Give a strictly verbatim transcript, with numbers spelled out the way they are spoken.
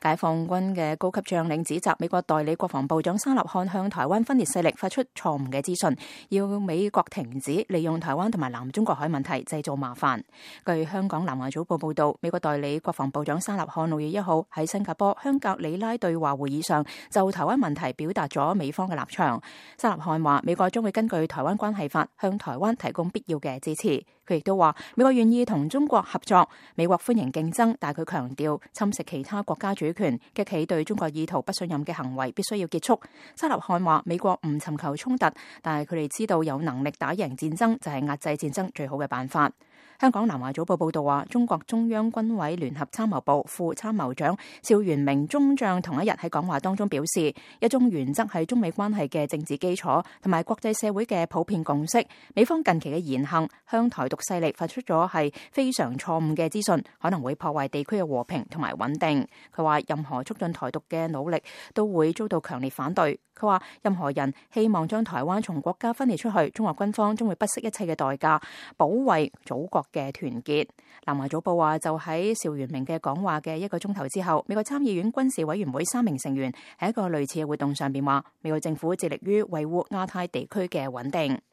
解放軍嘅高級將領指責美國代理國防部長沙納漢向台灣分裂勢力發出錯誤嘅資訊，要美國停止利用台灣同埋南中國海問題製造麻煩。據香港南華早報報道，美國代理國防部長沙納漢六月一號喺新加坡香格里拉對話會議上就台灣問題表達咗美方嘅立場。沙納漢話，美國將會根據台灣關係法向台灣提供必要嘅支持。佢亦都話，美國願意同中國合作，美國歡迎競爭，但佢強調侵蝕其他國家主權、激起對中國意圖不信任嘅行為必須要結束。沙納漢話，美國唔尋求衝突，但係佢哋知道有能力打贏戰爭就係壓制戰爭最好嘅辦法。香港南華早報報道話，中國中央軍委聯合參謀部副參謀長邵元明中將同一日喺講話當中表示，一中原則係中美關係嘅政治基礎同埋國際社會嘅普遍共識。美方近期嘅言行向台獨勢力發出咗係非常錯誤嘅資訊，可能會破壞地區嘅和平同埋穩定。佢話任何促進台獨嘅努力都會遭到強烈反對。佢話任何人希望將台灣從國家分裂出去，中國軍方將會不惜一切嘅代價保衛祖國嘅團結。南華早報話，就喺邵元明嘅講話嘅一個鐘頭之後，美國參議院軍事委員會三名成員喺一個類似嘅活動上邊話，美國政府致力於維護亞太地區嘅穩定。